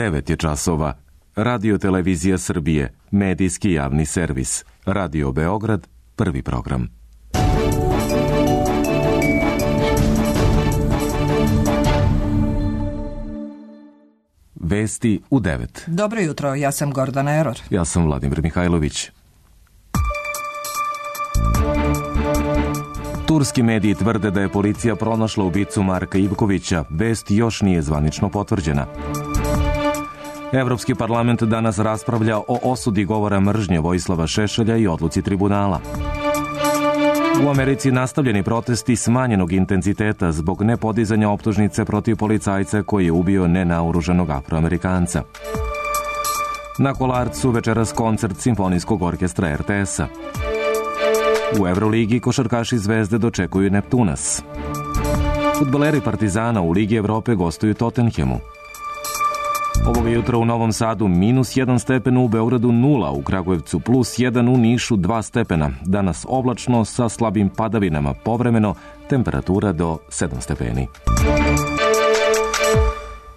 9 je časova. Radio Televizija Srbije, medijski javni servis. Radio Beograd, prvi program. Vesti u 9. Dobro jutro, ja sam Gordana Eror. Ja sam Vladimir Mihajlović. Turski mediji tvrde da je policija pronašla ubicu Marka Ivkovića. Vest još nije zvanično potvrđena. Evropski parlament danas raspravlja o osudi govora mržnje Vojislava Šešelja i odluci tribunala. U Americi nastavljeni protesti smanjenog intenziteta zbog nepodizanja optužnice protiv policajca koji je ubio nenaoružanog Afroamerikanca. Na Kolarcu večeras koncert Simfonijskog orkestra RTS-a. U Evroligi košarkaši Zvezde dočekuju Neptunas. Fudbaleri Partizana u Ligi Evrope gostuju Tottenhamu. Ovoga jutra u Novom Sadu -1 stepen, u Beogradu 0, u Kragujevcu +1, u Nišu 2 stepena. Danas oblačno sa slabim padavinama, povremeno temperatura do 7 stepeni.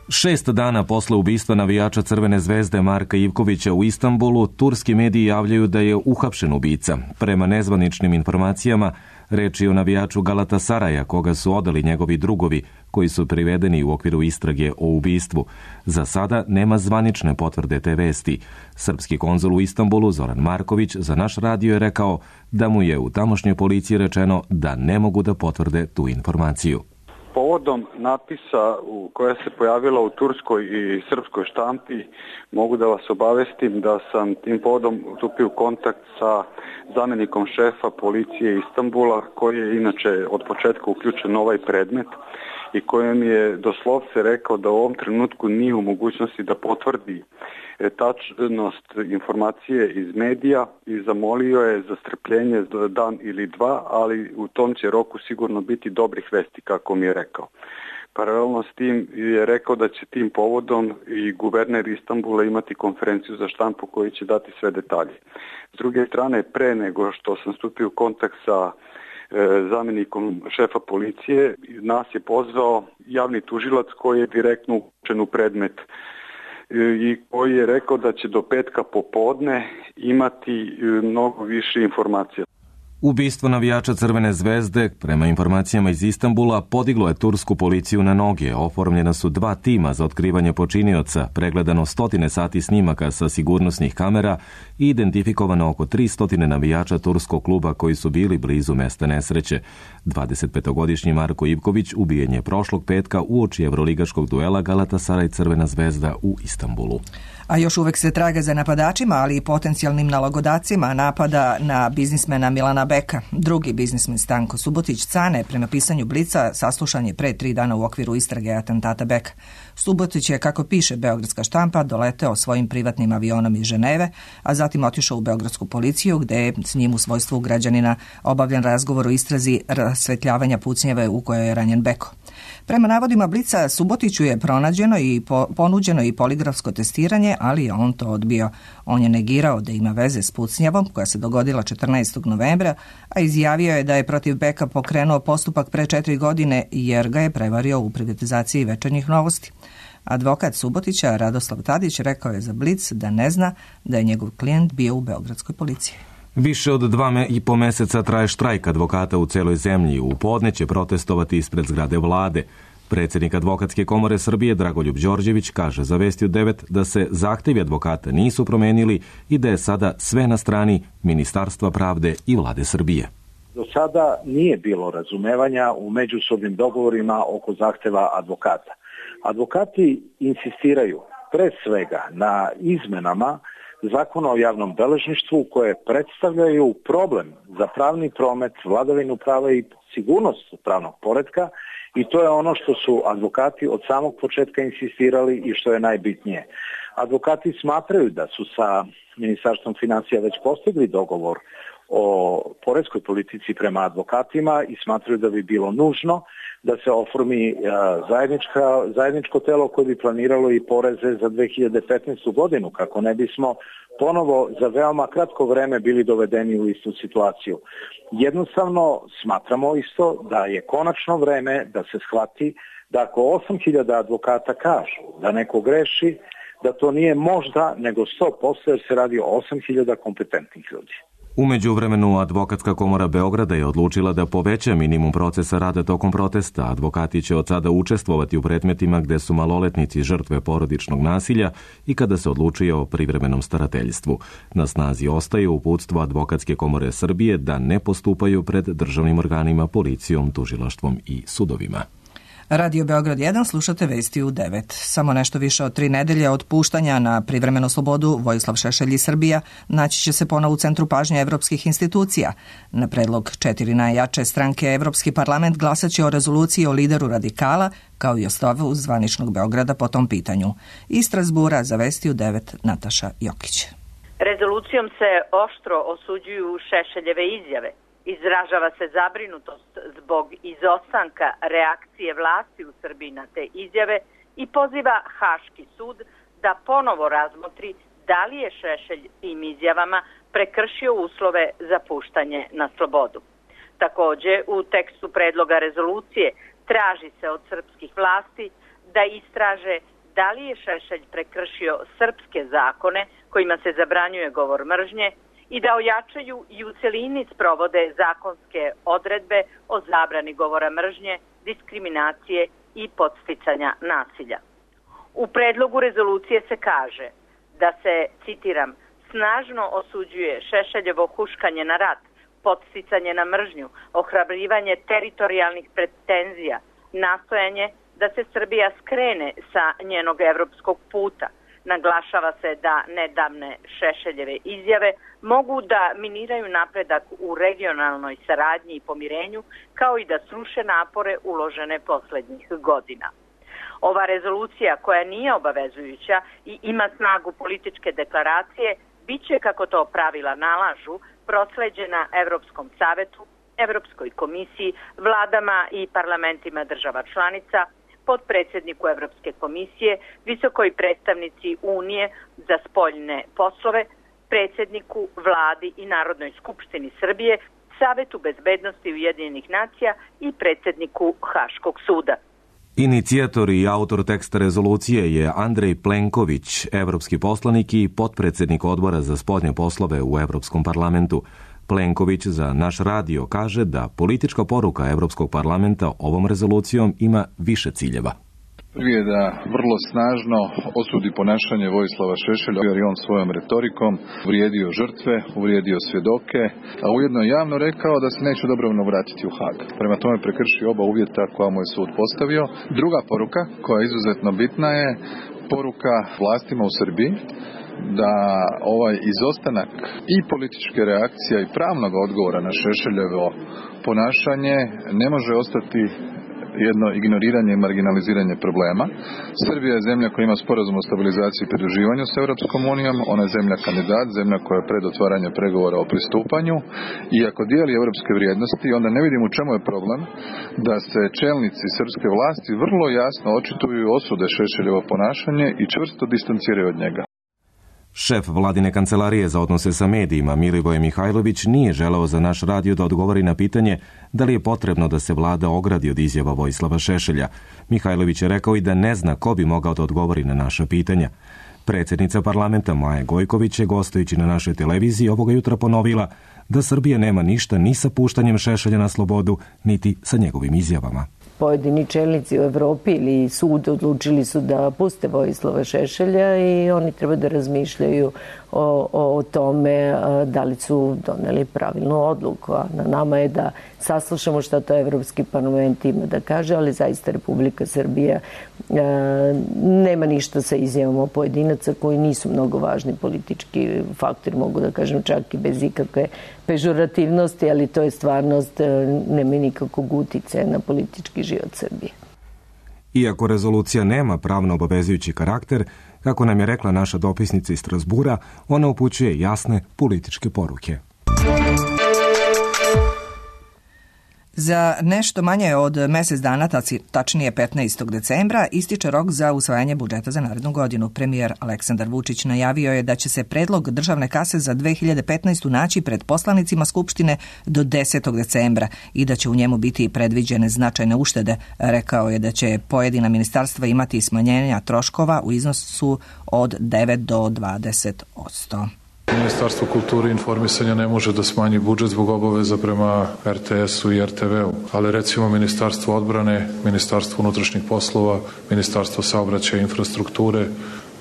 6 dana posle ubistva navijača Crvene zvezde Marka Ivkovića u Istanbulu, turski mediji javljaju da je uhapšen ubica. Prema nezvaničnim informacijama, reč je o navijaču Galatasaraja, koga su odali njegovi drugovi, koji su privedeni u okviru istrage o ubistvu. Za sada nema zvanične potvrde te vesti. Srpski konzul u Istanbulu, Zoran Marković, za naš radio je rekao da mu je u tamošnjoj policiji rečeno da ne mogu da potvrde tu informaciju. Povodom napisa koja se pojavila u turskoj i srpskoj štampi, mogu da vas obavestim da sam tim povodom stupio u kontakt sa zamjenikom šefa policije Istanbula, koji je inače od početka uključen u ovaj predmet i kojem je doslovce rekao da u ovom trenutku nije u mogućnosti da potvrdi tačnost informacije iz medija i zamolio je za strpljenje dan ili dva, ali u tom će roku sigurno biti dobrih vesti, kako mi je rekao. Paralelno s tim je rekao da će tim povodom i guverner Istanbula imati konferenciju za štampu koji će dati sve detalje. S druge strane, pre nego što sam stupio u kontakt sa zamjenikom šefa policije, nas je pozvao javni tužilac koji je direktno uključen u predmet i koji je rekao da će do petka popodne imati mnogo više informacija. Ubistvo navijača Crvene zvezde, prema informacijama iz Istanbula, podiglo je tursku policiju na noge. Oformljena su 2 tima za otkrivanje počinioca, pregledano 100 sati snimaka sa sigurnosnih kamera i identifikovano oko 300 navijača turskog kluba koji su bili blizu mesta nesreće. 25-godišnji Marko Ivković ubijen je prošlog petka uoči evroligaškog duela Galatasaray Crvena zvezda u Istanbulu. A još uvek se traga za napadačima, ali i potencijalnim nalogodacima napada na biznismena Milana Beka. Drugi biznismen Stanko Subotić Cane, prema pisanju Blica, saslušan je pre 3 dana u okviru istrage atentata Beka. Subotić je, kako piše beogradska štampa, doleteo svojim privatnim avionom iz Ženeve, a zatim otišao u beogradsku policiju, gde je s njim u svojstvu građanina obavljen razgovor o istrazi rasvetljavanja pucnjeve u kojoj je ranjen Beko. Prema navodima Blica, Subotiću je pronađeno i ponuđeno i poligrafsko testiranje, ali je on to odbio. On je negirao da ima veze s pucnjavom koja se dogodila 14. novembra, a izjavio je da je protiv Beka pokrenuo postupak pre 4 godine jer ga je prevario u privatizaciji Večernjih novosti. Advokat Subotića, Radoslav Tadić, rekao je za Blic da ne zna da je njegov klijent bio u beogradskoj policiji. Više od 2,5 meseca traje štrajk advokata u celoj zemlji. U podne će protestovati ispred zgrade vlade. Predsjednik Advokatske komore Srbije Dragoljub Đorđević kaže za Vesti u 9 da se zahtevi advokata nisu promenili i da je sada sve na strani Ministarstva pravde i vlade Srbije. Do sada nije bilo razumevanja u međusobnim dogovorima oko zahteva advokata. Advokati insistiraju pre svega na izmenama Zakona o javnom beležništvu koje predstavljaju problem za pravni promet, vladavinu prava i sigurnost pravnog poretka, i to je ono što su advokati od samog početka insistirali i što je najbitnije. Advokati smatraju da su sa Ministarstvom financija već postigli dogovor o poreskoj politici prema advokatima i smatraju da bi bilo nužno da se oformi zajedničko telo koje bi planiralo i poreze za 2015. godinu, kako ne bismo ponovo za veoma kratko vreme bili dovedeni u istu situaciju. Jednostavno smatramo isto da je konačno vreme da se shvati da ako 8.000 advokata kažu da neko greši, da to nije možda, nego 100%, jer se radi o 8.000 kompetentnih ljudi. U međuvremenu, Advokatska komora Beograda je odlučila da poveća minimum procesa rada tokom protesta. Advokati će od sada učestvovati u predmetima gde su maloletnici žrtve porodičnog nasilja i kada se odlučuje o privremenom starateljstvu. Na snazi ostaje uputstvo Advokatske komore Srbije da ne postupaju pred državnim organima, policijom, tužilaštvom i sudovima. Radio Beograd 1, slušate vesti u 9. Samo nešto više od 3 nedelje od puštanja na privremenu slobodu Vojislav Šešelj i Srbija naći će se ponovo u centru pažnje evropskih institucija. Na predlog 4 najjače stranke Evropski parlament glasaće o rezoluciji o lideru radikala, kao i o stavu zvaničnog Beograda po tom pitanju. Iz Strasbura za vesti u 9 Nataša Jokić. Rezolucijom se oštro osuđuju Šešeljeve izjave. Izražava se zabrinutost zbog izostanka reakcije vlasti u Srbiji na te izjave i poziva Haški sud da ponovo razmotri da li je Šešelj tim izjavama prekršio uslove za puštanje na slobodu. Također, u tekstu predloga rezolucije traži se od srpskih vlasti da istraže da li je Šešelj prekršio srpske zakone kojima se zabranjuje govor mržnje i da ojačaju i u celini sprovode zakonske odredbe o zabrani govora mržnje, diskriminacije i podsticanja nasilja. U predlogu rezolucije se kaže da se, citiram, snažno osuđuje Šešeljevo huškanje na rat, podsticanje na mržnju, ohrabrivanje teritorijalnih pretenzija, nastojanje da se Srbija skrene sa njenog evropskog puta. Naglašava se da nedavne Šešeljeve izjave mogu da miniraju napredak u regionalnoj saradnji i pomirenju, kao i da sruše napore uložene poslednjih godina. Ova rezolucija, koja nije obavezujuća i ima snagu političke deklaracije, bit će, kako to pravila nalažu, prosleđena Evropskom savetu, Evropskoj komisiji, vladama i parlamentima država članica, podpredsjedniku Evropske komisije, visokoj predstavnici Unije za spoljne poslove, predsjedniku, vladi i Narodnoj skupštini Srbije, Savetu bezbednosti Ujedinjenih nacija i predsjedniku Haškog suda. Inicijator i autor teksta rezolucije je Andrej Plenković, evropski poslanik i potpredsjednik odbora za spoljne poslove u Evropskom parlamentu. Plenković za naš radio kaže da politička poruka Evropskog parlamenta ovom rezolucijom ima više ciljeva. Prvi je da vrlo snažno osudi ponašanje Vojislava Šešelja, jer je on svojom retorikom uvrijedio žrtve, uvrijedio svjedoke, a ujedno je javno rekao da se neće dobrovoljno vratiti u Hag. Prema tome prekršio oba uvjeta koja mu je sud postavio. Druga poruka, koja je izuzetno bitna, je poruka vlastima u Srbiji da ovaj izostanak i političke reakcije i pravnog odgovora na Šešeljevo ponašanje ne može ostati jedno ignoriranje i marginaliziranje problema. Srbija je zemlja koja ima sporazum o stabilizaciji i pridruživanju s Europskom unijom, ona je zemlja kandidat, zemlja koja je pred otvaranje pregovora o pristupanju i ako dijeli europske vrijednosti, onda ne vidim u čemu je problem da se čelnici srpske vlasti vrlo jasno očituju i osude Šešeljevo ponašanje i čvrsto distanciraju od njega. Šef vladine kancelarije za odnose sa medijima Milivoje Mihajlović nije želeo za naš radio da odgovori na pitanje da li je potrebno da se vlada ogradi od izjava Vojislava Šešelja. Mihajlović je rekao i da ne zna ko bi mogao da odgovori na naša pitanja. Predsjednica parlamenta Maja Gojković je gostujući na našoj televiziji ovoga jutra ponovila da Srbija nema ništa ni sa puštanjem Šešelja na slobodu, niti sa njegovim izjavama. Pojedini čelnici u Evropi ili sud odlučili su da puste Vojislava Šešelja i oni treba da razmišljaju o tome da li su doneli pravilnu odluku. A na nama je da saslušamo šta to Evropski parlament ima da kaže, ali zaista Republika Srbija nema ništa sa izjavama pojedinaca koji nisu mnogo važni politički faktori, mogu da kažem čak i bez ikakve pežorativnosti, ali to je stvarnost, nema nikakvog uticaja na politički život Srbije. Iako rezolucija nema pravno obavezujući karakter, kako nam je rekla naša dopisnica iz Strasbura, ona upućuje jasne političke poruke. Za nešto manje od mjesec dana, tačnije 15. decembra, ističe rok za usvajanje budžeta za narednu godinu. Premijer Aleksandar Vučić najavio je da će se predlog državne kase za 2015. naći pred poslanicima Skupštine do 10. decembra i da će u njemu biti predviđene značajne uštede. Rekao je da će pojedina ministarstva imati smanjenja troškova u iznosu od 9 do 20%. Ministarstvo kulture i informisanja ne može da smanji budžet zbog obaveza prema RTS-u i RTV-u, ali recimo Ministarstvo odbrane, Ministarstvo unutrašnjih poslova, Ministarstvo saobraćaja i infrastrukture,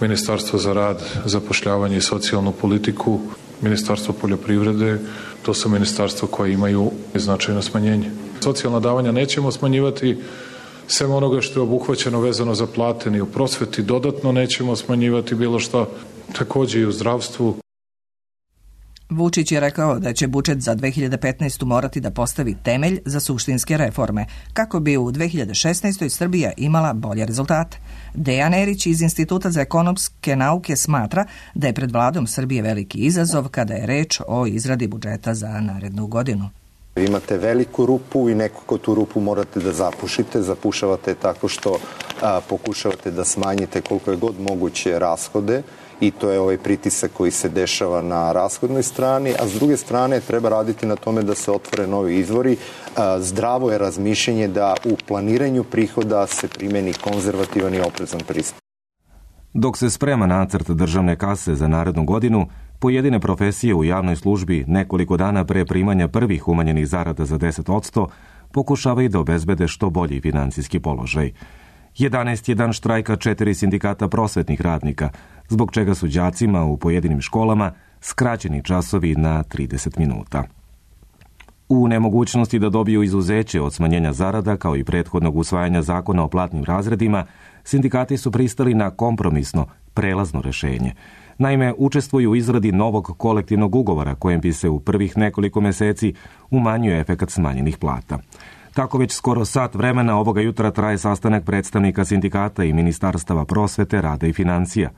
Ministarstvo za rad, zapošljavanje i socijalnu politiku, Ministarstvo poljoprivrede, to su ministarstva koje imaju značajno smanjenje. Socijalna davanja nećemo smanjivati, sem onoga što je obuhvaćeno vezano za plate, ni u prosveti dodatno nećemo smanjivati bilo što, također i u zdravstvu. Vučić je rekao da će budžet za 2015. morati da postavi temelj za suštinske reforme, kako bi u 2016. Srbija imala bolje rezultate. Dejan Erić iz Instituta za ekonomske nauke smatra da je pred vladom Srbije veliki izazov kada je reč o izradi budžeta za narednu godinu. Imate veliku rupu i nekako tu rupu morate da zapušite. Zapušavate tako što pokušavate da smanjite koliko je god moguće rashode i to je ovaj pritisak koji se dešava na rashodnoj strani, a s druge strane treba raditi na tome da se otvore novi izvori. Zdravo je razmišljenje da u planiranju prihoda se primeni konzervativan i oprezan pristup. Dok se sprema nacrt državne kase za narednu godinu, pojedine profesije u javnoj službi nekoliko dana pre primanja prvih umanjenih zarada za 10% pokušavaju da obezbede što bolji financijski položaj. 11 je dan štrajka 4 sindikata prosvetnih radnika, zbog čega su đacima u pojedinim školama skraćeni časovi na 30 minuta. U nemogućnosti da dobiju izuzeće od smanjenja zarada, kao i prethodnog usvajanja zakona o platnim razredima, sindikati su pristali na kompromisno, prelazno rešenje. Naime, učestvuju u izradi novog kolektivnog ugovora kojem bi se u prvih nekoliko meseci umanjio efekat smanjenih plata. Tako već skoro sat vremena ovoga jutra traje sastanak predstavnika sindikata i ministarstava prosvete, rada i financija.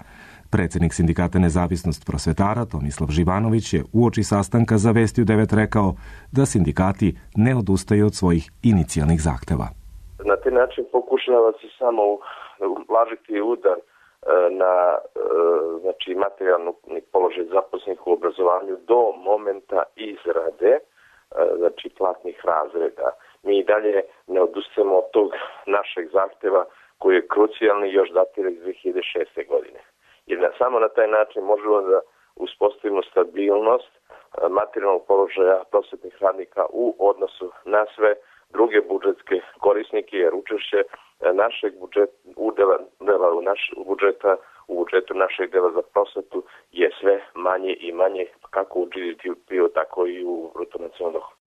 Predsjednik sindikata Nezavisnost prosvetara Tomislav Živanović je uoči sastanka za Vesti u 9 rekao da sindikati ne odustaju od svojih inicijalnih zahteva. Na taj način pokušava se samo ublažiti udar na materijalni položaj zaposlenih u obrazovanju do momenta izrade platnih razreda. Mi i dalje ne odustajemo od tog našeg zahteva koji je krucijalni još datira iz 2006. godine. Jer samo na taj način možemo da uspostavimo stabilnost materijalnog položaja prosvetnih radnika u odnosu na sve druge budžetske korisnike, jer učešće našeg u budžetu našeg dela za prosvetu je sve manje i manje, kako u GDP-u, tako i u bruto nacionalnom dohotku.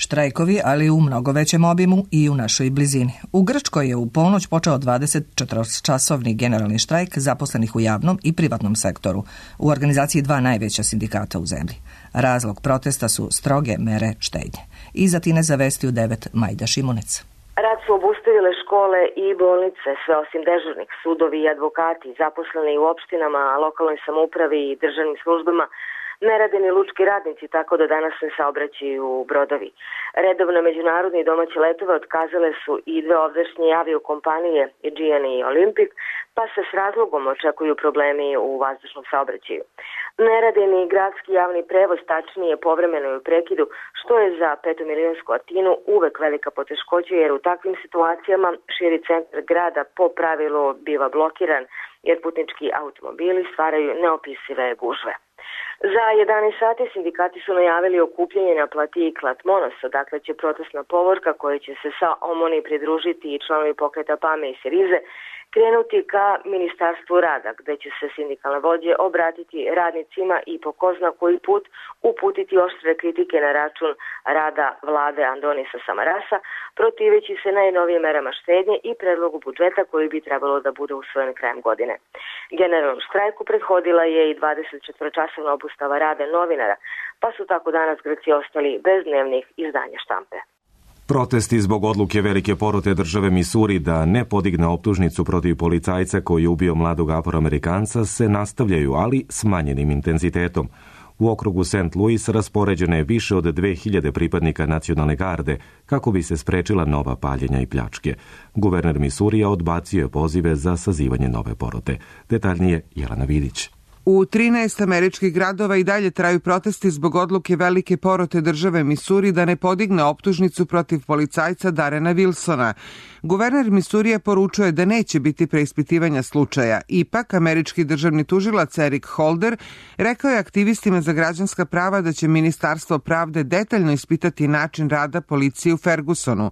Štrajkovi, ali u mnogo većem obimu i u našoj blizini. U Grčkoj je u ponoć počeo 24-časovni generalni štrajk zaposlenih u javnom i privatnom sektoru, u organizaciji 2 najveća sindikata u zemlji. Razlog protesta su stroge mere štednje. Iza Tine za Vesti u 9 Majda Šimunec. Rad su obustavile škole i bolnice, sve osim dežurnih, sudovi i advokati, zaposleni u opštinama, lokalnoj samoupravi i državnim službama. Ne rade ni lučki radnici, tako da danas se saobraćaju brodovi. Redovno međunarodni i domaće letove otkazale su i 2 ovdašnje aviokompanije, Aegean i Olympic, pa se s razlogom očekuju problemi u vazdušnom saobraćaju. Ne rade ni gradski javni prevoz, tačnije povremeno u prekidu, što je za 5-milionsku Atinu uvek velika poteškoća, jer u takvim situacijama širi centar grada po pravilu biva blokiran, jer putnički automobili stvaraju neopisive gužve. Za 11 sati sindikati su najavili okupljanje na platiji Klatmonos, dakle će protestna povorka koja će se sa Omoni pridružiti i članovi pokreta PAME i Sirize krenuti ka Ministarstvu rada, gde će se sindikalne vođe obratiti radnicima i po ko zna koji put uputiti oštre kritike na račun rada vlade Andonisa Samarasa, protiveći se najnovijim merama štednje i predlogu budžeta koji bi trebalo da bude usvojen krajem godine. Generalnom štrajku prethodila je i 24-časovna obustava rada novinara, pa su tako danas Grci ostali bez dnevnih izdanja štampe. Protesti zbog odluke velike porote države Misuri da ne podigne optužnicu protiv policajca koji je ubio mladog Afroamerikanca se nastavljaju, ali s manjenim intenzitetom. U okrugu St. Louis raspoređeno je više od 2000 pripadnika nacionalne garde kako bi se sprečila nova paljenja i pljačke. Guverner Misurija odbacio je pozive za sazivanje nove porote. Detaljnije Jelena Vidić. U 13 američkih gradova i dalje traju protesti zbog odluke velike porote države Misuri da ne podigne optužnicu protiv policajca Darrena Wilsona. Guverner Misurija poručuje da neće biti preispitivanja slučaja. Ipak, američki državni tužilac Eric Holder rekao je aktivistima za građanska prava da će Ministarstvo pravde detaljno ispitati način rada policije u Fergusonu.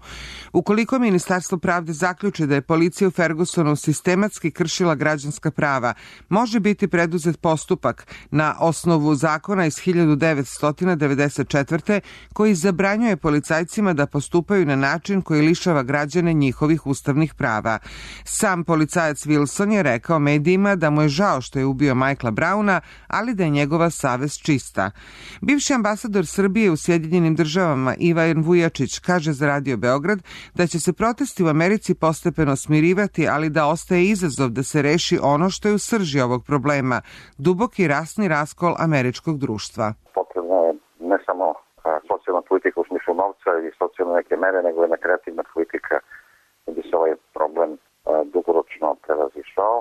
Ukoliko Ministarstvo pravde zaključi da je policija u Fergusonu sistematski kršila građanska prava, može biti preduzet postupak na osnovu zakona iz 1994. koji zabranjuje policajcima da postupaju na način koji lišava građane njihovih ustavnih prava. Sam policajac Wilson je rekao medijima da mu je žao što je ubio Michaela Browna, ali da je njegova savest čista. Bivši ambasador Srbije u Sjedinjenim državama Ivan Vujačić kaže za Radio Beograd da će se protesti u Americi postepeno smirivati, ali da ostaje izazov da se reši ono što je u srži ovog problema, duboki rasni raskol američkog društva. Potrebno je ne samo socijalna politika u smislu novca i socijalne neke mere, nego jedna kreativna politika da bi se ovaj problem dugoročno prevazišao.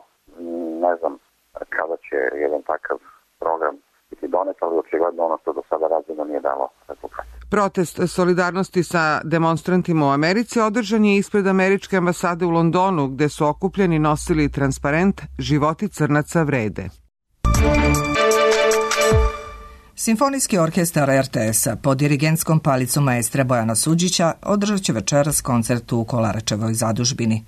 Ne znam kada će jedan takav program biti donet, ali očigledno ono što do sada rađeno nije dalo rezultat. Protest solidarnosti sa demonstrantima u Americi održan je ispred američke ambasade u Londonu, gde su okupljeni nosili transparent "Životi crnaca vrede". Simfonijski orkestar RTS-a pod dirigentskom palicom maestra Bojana Suđića održat će večeras koncert u Kolaračevoj zadužbini.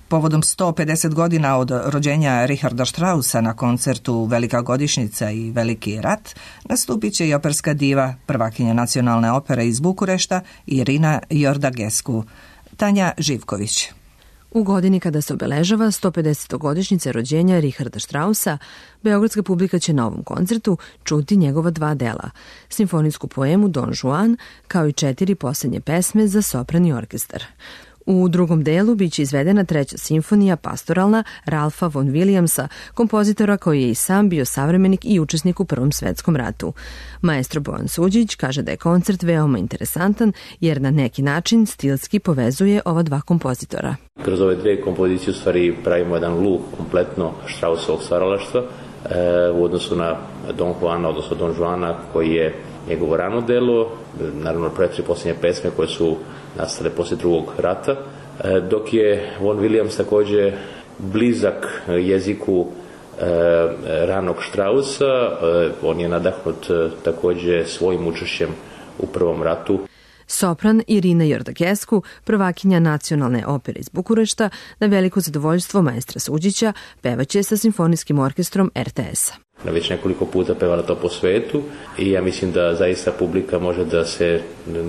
Povodom 150 godina od rođenja Richarda Straussa na koncertu Velika godišnjica i Veliki rat nastupit će i operska diva, prvakinja nacionalne opere iz Bukurešta Irina Jordagescu. Tanja Živković. U godini kada se obeležava 150. godišnjice rođenja Richarda Straussa, beogradska publika će na ovom koncertu čuti njegova 2 dela, simfonijsku poemu Don Juan, kao i 4 posljednje pesme za sopran i orkestar. U drugom delu biće izvedena 3. simfonija pastoralna Ralfa von Williamsa, kompozitora koji je i sam bio savremenik i učesnik u Prvom svetskom ratu. Maestro Bojan Suđić kaže da je koncert veoma interesantan jer na neki način stilski povezuje ova 2 kompozitora. Kroz ove 2 kompozicije u stvari pravimo jedan luk kompletno Straussovog stvaralaštva u odnosu na Don Juana, odnosno Don Juana koji je njegovo rano delo, naravno pre 3 posljednje pesme koje su nastale poslije Drugog rata, dok je von Williams također blizak jeziku ranog Straussa, on je nadahnut također svojim učešćem u Prvom ratu. Sopran Irina Jordagescu, prvakinja nacionalne opere iz Bukurešta, na veliko zadovoljstvo maestra Suđića, pevaće sa simfonijskim orkestrom RTS-a. Već nekoliko puta pevala to po svetu i ja mislim da zaista publika može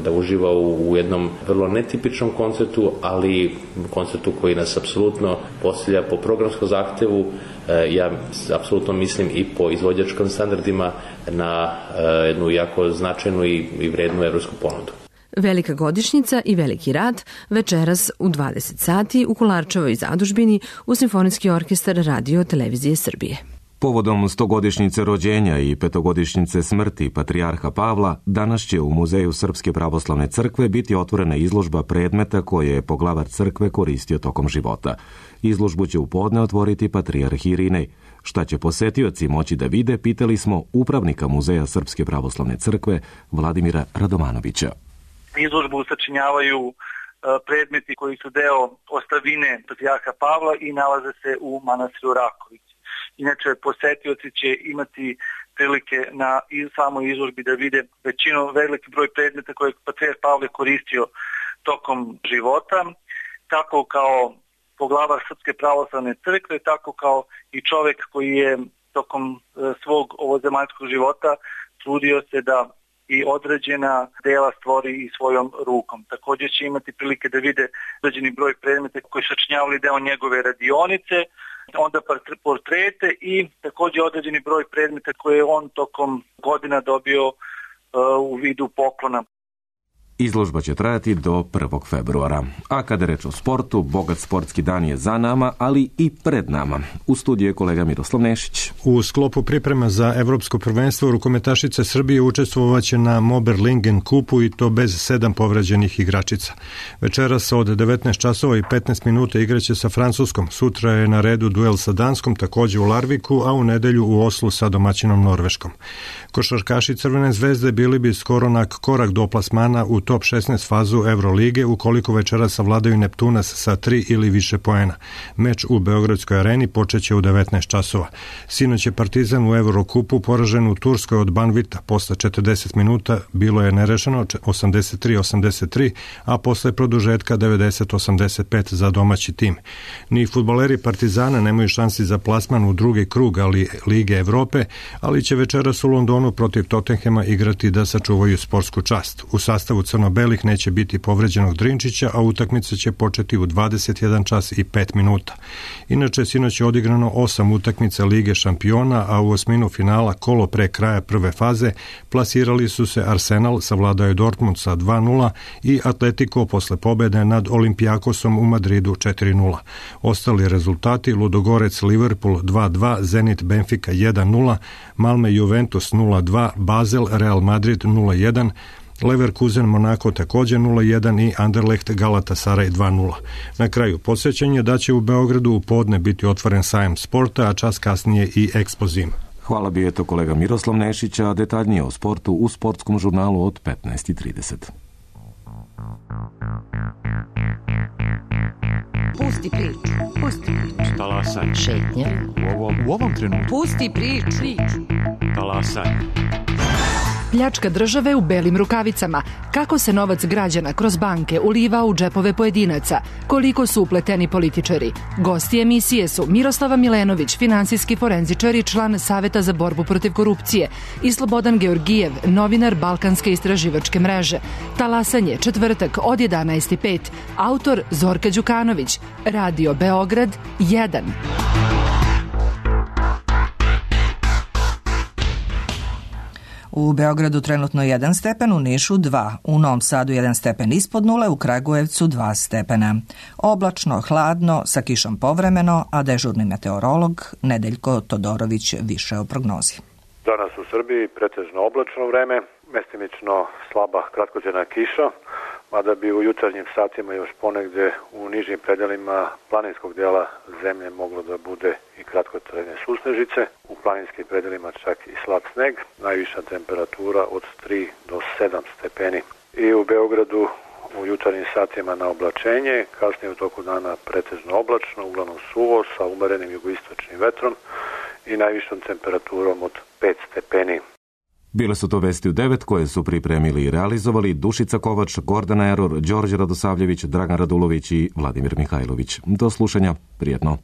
da uživa u jednom vrlo netipičnom koncertu, ali koncertu koji nas apsolutno postavlja po programskom zahtevu, ja apsolutno mislim i po izvođačkim standardima na jednu jako značajnu i vrednu evropsku ponudu. Velika godišnjica i Veliki rat večeras u 20 sati u Kolarčevoj zadužbini u Simfonijski orkestar Radio Televizije Srbije. Povodom 100-godišnjice rođenja i 5-godišnjice smrti patrijarha Pavla, danas će u Muzeju Srpske pravoslavne crkve biti otvorena izložba predmeta koje je poglavar crkve koristio tokom života. Izložbu će u podne otvoriti patrijarh Irinej. Šta će posetioci moći da vide, pitali smo upravnika Muzeja Srpske pravoslavne crkve Vladimira Radomanovića. Izložbu sačinjavaju predmeti koji su deo ostavine patrijarha Pavla i nalaze se u manastiru Raković. Inače, posetioci će imati prilike na samoj izložbi da vide veliki broj predmeta koje je patrijarh Pavle koristio tokom života, tako kao poglavar Srpske pravoslavne crkve, tako kao i čovek koji je tokom svog ovozemaljskog života trudio se da i određena dela stvori i svojom rukom. Također će imati prilike da vide određeni broj predmeta koji su sačinjavali deo njegove radionice, onda portrete i također određeni broj predmeta koje je on tokom godina dobio u vidu poklona. Izložba će trajati do 1. februara. A kada je reč o sportu, bogat sportski dan je za nama, ali i pred nama. U studiju je kolega Miroslav Nešić. U sklopu priprema za evropsko prvenstvo rukometašice Srbije učestvovaće na Moberlingen kupu i to bez 7 povređenih igračica. Večeras od 19 časova i 15 minuta igraće sa Francuskom. Sutra je na redu duel sa Danskom, takođe u Larviku, a u nedelju u Oslu sa domaćinom Norveškom. Košarkaši Crvene zvezde bili bi skoro na korak do plasmana u top 16 fazu Evrolige ukoliko večera savladaju Neptunas sa 3 ili više poena. Meč u Beogradskoj areni počeće u 19 časova. Sinoć je Partizan u Evrokupu poražen u Turskoj od Banvita. Posle 40 minuta bilo je nerešeno 83-83, a posle produžetka 90-85 za domaći tim. Ni fudbaleri Partizana nemaju šansi za plasman u drugi krug Lige Evrope, ali će večeras u Londonu protiv Tottenhema igrati da sačuvaju sportsku čast. U sastavu crno-belih neće biti povređenog Drinčića, a utakmica će početi u 21 čas i 5 minuta. Inače, sinoć je odigrano 8 utakmica Lige šampiona, a u osminu finala kolo pre kraja prve faze plasirali su se Arsenal, savladao je Dortmund sa 2-0 i Atletico posle pobede nad Olimpijakosom u Madridu 4-0. Ostali rezultati: Ludogorec Liverpool 2-2, Zenit Benfica 1-0, Malme Juventus 0-2, Basel Real Madrid 0-1, Leverkusen Monako također 0-1 i Anderlecht Galatasaray 2-0. Na kraju podsjećanje da će u Beogradu u podne biti otvoren sajam sporta, a čas kasnije i Ekspozim. Hvala bi eto kolega Miroslav Nešić, a detaljnije o sportu u sportskom žurnalu od 15:30. Pusti priču, pusti priču. Talasaj. Šetnja. U ovom trenutku. Pusti priču. Talasaj. Pljačka države u belim rukavicama. Kako se novac građana kroz banke uliva u džepove pojedinaca? Koliko su upleteni političari? Gosti emisije su Miroslava Milenović, finansijski forenzičar i član Saveta za borbu protiv korupcije, i Slobodan Georgijev, novinar Balkanske istraživačke mreže. Talasanje, četvrtak od 11:05. Autor Zorka Đukanović. Radio Beograd 1. U Beogradu trenutno 1 stepen, u Nišu 2, u Novom Sadu 1 stepen ispod nule, u Kragujevcu 2 stepena. Oblačno, hladno, sa kišom povremeno, a dežurni meteorolog Nedeljko Todorović više o prognozi. Danas u Srbiji pretežno oblačno vreme, mestimično slaba kratkotrajna kiša, mada bi u jutarnjim satima još ponegde u nižim predelima planinskog dela zemlje moglo da bude i kratkotrajne susnežice, u planinskim predelima čak i slab sneg, najviša temperatura od 3 do 7 stepeni. I u Beogradu u jutarnjim satima na oblačenje, kasnije u toku dana pretežno oblačno, uglavnom suvo sa umerenim jugoistočnim vetrom i najvišom temperaturom od 5 stepeni. Bile su to vesti u 9 koje su pripremili i realizovali Dušica Kovač, Gordana Eror, Đorđe Radosavljević, Dragan Radulović i Vladimir Mihajlović. Do slušanja, prijetno.